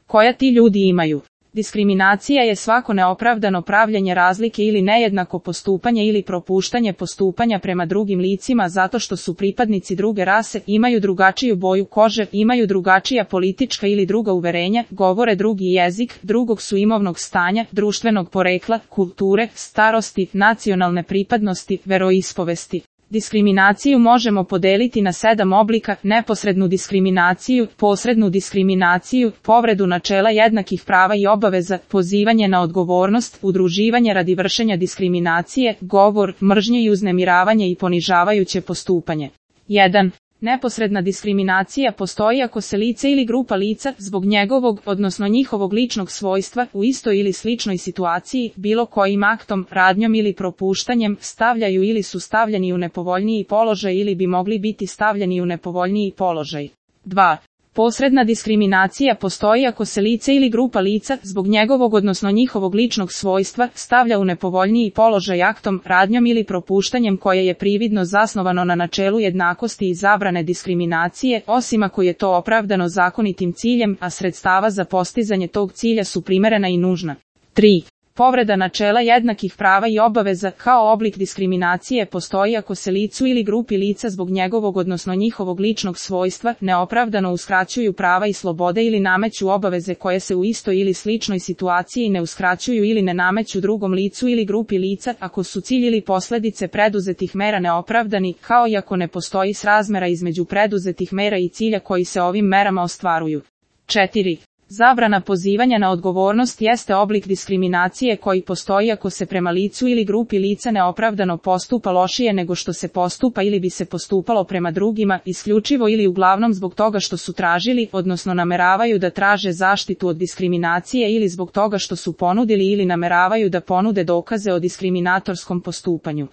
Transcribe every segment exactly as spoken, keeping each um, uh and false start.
koja ti ljudi imaju. Diskriminacija je svako neopravdano pravljenje razlike ili nejednako postupanje ili propuštanje postupanja prema drugim licima zato što su pripadnici druge rase, imaju drugačiju boju kože, imaju drugačija politička ili druga uverenja, govore drugi jezik, drugog su imovnog stanja, društvenog porekla, kulture, starosti, nacionalne pripadnosti, veroispovesti. Diskriminaciju možemo podeliti na sedam oblika: neposrednu diskriminaciju, posrednu diskriminaciju, povredu načela jednakih prava i obaveza, pozivanje na odgovornost, udruživanje radi vršenja diskriminacije, govor mržnje i uznemiravanje i ponižavajuće postupanje. jedan. Neposredna diskriminacija postoji ako se lice ili grupa lica, zbog njegovog, odnosno njihovog ličnog svojstva, u istoj ili sličnoj situaciji, bilo kojim aktom, radnjom ili propuštanjem, stavljaju ili su stavljeni u nepovoljniji položaj ili bi mogli biti stavljeni u nepovoljniji položaj. dva. Posredna diskriminacija postoji ako se lice ili grupa lica, zbog njegovog odnosno njihovog ličnog svojstva, stavlja u nepovoljniji položaj aktom, radnjom ili propuštanjem koje je prividno zasnovano na načelu jednakosti i zabrane diskriminacije, osim ako je to opravdano zakonitim ciljem, a sredstava za postizanje tog cilja su primerena i nužna. tri. Povreda načela jednakih prava i obaveza kao oblik diskriminacije postoji ako se licu ili grupi lica zbog njegovog odnosno njihovog ličnog svojstva neopravdano uskraćuju prava i slobode ili nameću obaveze koje se u istoj ili sličnoj situaciji ne uskraćuju ili ne nameću drugom licu ili grupi lica, ako su cilj ili posledice preduzetih mera neopravdani, kao i ako ne postoji srazmera između preduzetih mera i cilja koji se ovim merama ostvaruju. četiri. Zabrana pozivanja na odgovornost jeste oblik diskriminacije koji postoji ako se prema licu ili grupi lica neopravdano postupa lošije nego što se postupa ili bi se postupalo prema drugima, isključivo ili uglavnom zbog toga što su tražili, odnosno nameravaju da traže zaštitu od diskriminacije ili zbog toga što su ponudili ili nameravaju da ponude dokaze o diskriminatorskom postupanju.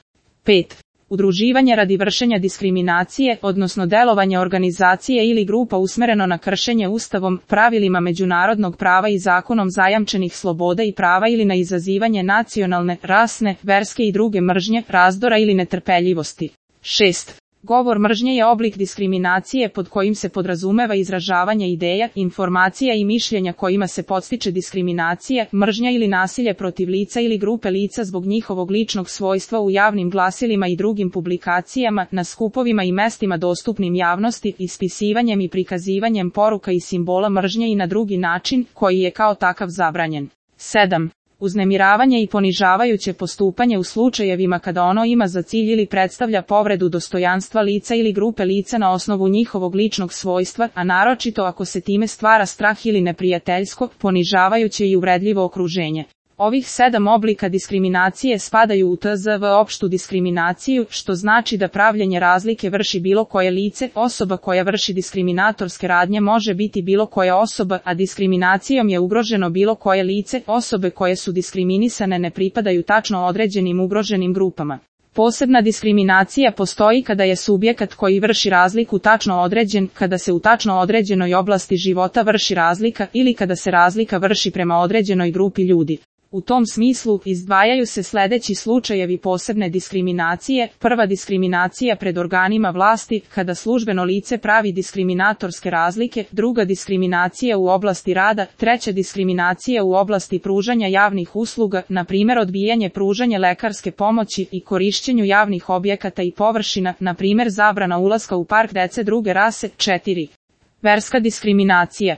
pet. Udruživanje radi vršenja diskriminacije, odnosno delovanje organizacije ili grupa usmereno na kršenje Ustavom, pravilima međunarodnog prava i zakonom zajamčenih sloboda i prava ili na izazivanje nacionalne, rasne, verske i druge mržnje, razdora ili netrpeljivosti. šest. Govor mržnje je oblik diskriminacije pod kojim se podrazumeva izražavanje ideja, informacija i mišljenja kojima se podstiče diskriminacija, mržnja ili nasilje protiv lica ili grupe lica zbog njihovog ličnog svojstva u javnim glasilima i drugim publikacijama, na skupovima i mestima dostupnim javnosti, ispisivanjem i prikazivanjem poruka i simbola mržnje i na drugi način, koji je kao takav zabranjen. sedam. Uznemiravanje i ponižavajuće postupanje u slučajevima kada ono ima za cilj ili predstavlja povredu dostojanstva lica ili grupe lica na osnovu njihovog ličnog svojstva, a naročito ako se time stvara strah ili neprijateljsko, ponižavajuće i uvredljivo okruženje. Ovih sedam oblika diskriminacije spadaju u T Z V opštu diskriminaciju, što znači da pravljenje razlike vrši bilo koje lice, osoba koja vrši diskriminatorske radnje može biti bilo koja osoba, a diskriminacijom je ugroženo bilo koje lice, osobe koje su diskriminisane ne pripadaju tačno određenim ugroženim grupama. Posebna diskriminacija postoji kada je subjekat koji vrši razliku tačno određen, kada se u tačno određenoj oblasti života vrši razlika ili kada se razlika vrši prema određenoj grupi ljudi. U tom smislu, izdvajaju se sledeći slučajevi posebne diskriminacije: prva diskriminacija pred organima vlasti, kada službeno lice pravi diskriminatorske razlike, druga diskriminacija u oblasti rada, treća diskriminacija u oblasti pružanja javnih usluga, na primjer odbijanje pružanja lekarske pomoći i korišćenju javnih objekata i površina, na primjer zabrana ulaska u park dece druge rase. četiri. Verska diskriminacija.